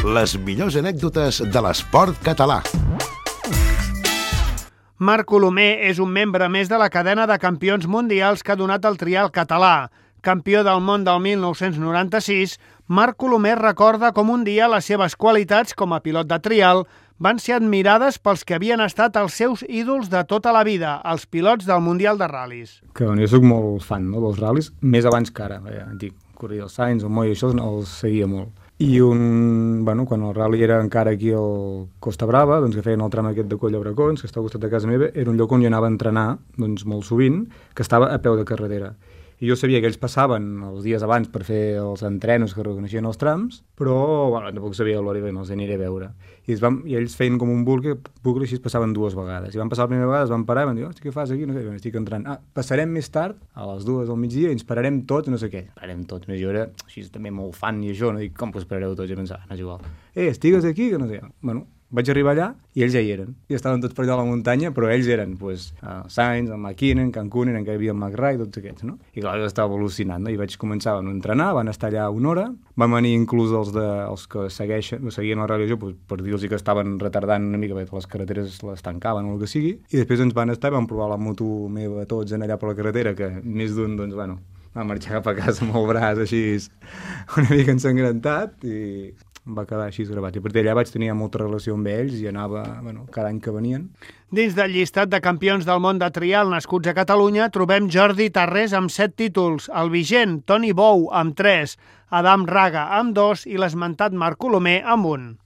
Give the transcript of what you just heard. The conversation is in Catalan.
Les millors anècdotes de l'esport català. Marc Colomer és un membre més de la cadena de campions mundials que ha donat el trial català. Campió del món del 1996, Marc Colomer recorda com un dia les seves qualitats com a pilot de trial van ser admirades pels que havien estat els seus ídols de tota la vida, els pilots del Mundial de Ral·lis. Que jo soc molt fan dels ral·lis, més abans que ara. Antic, corria el Sainz, el Moll, això els seguia molt. I quan el rally era encara aquí al Costa Brava, doncs que feien el tram aquest de Coll de Bracons, que està al costat de casa meva, era un lloc on jo anava a entrenar molt sovint, que estava a peu de carretera. I jo sabia que ells passaven els dies abans per fer els entrenos que reconeixien els trams, però tampoc sabia l'hora i els aniré a veure. I ells feien com un bucle així es passaven 2 vegades. I van passar la primera vegada, es van parar i van dir, hosti, què fas aquí? No sé, estic entrant. Passarem més tard, a les 2 del migdia, i ens pararem tots, no sé què. Pararem tots. Jo era així també molt fan i això, no dic, com que us parareu tots? I pensava, és igual. Estigues aquí? Que no sé. Vaig arribar allà i ells ja hi eren. I estaven tots per allà a la muntanya, però ells eren Sainz, el McKinnon, Cancunen, encara hi havia el McRae, tots aquests, no? I clar, jo estava al·lucinant, no? I vaig començar a entrenar, van estar allà 1 hora, van venir inclús els que seguien el rally per dir-los que estaven retardant una mica, perquè les carreteres les tancaven o el que sigui, i després ens van estar i van provar la moto meva tots allà per la carretera, que més d'un, va marxar cap a casa amb el braç així una mica ensangrentat i va quedar així gravat. I a partir d'allà vaig tenir molta relació amb ells i anava, cada any que venien. Dins del llistat de campions del món de trial nascuts a Catalunya trobem Jordi Tarrés amb 7 títols, el vigent Toni Bou amb 3, Adam Raga amb 2 i l'esmentat Marc Colomer amb 1.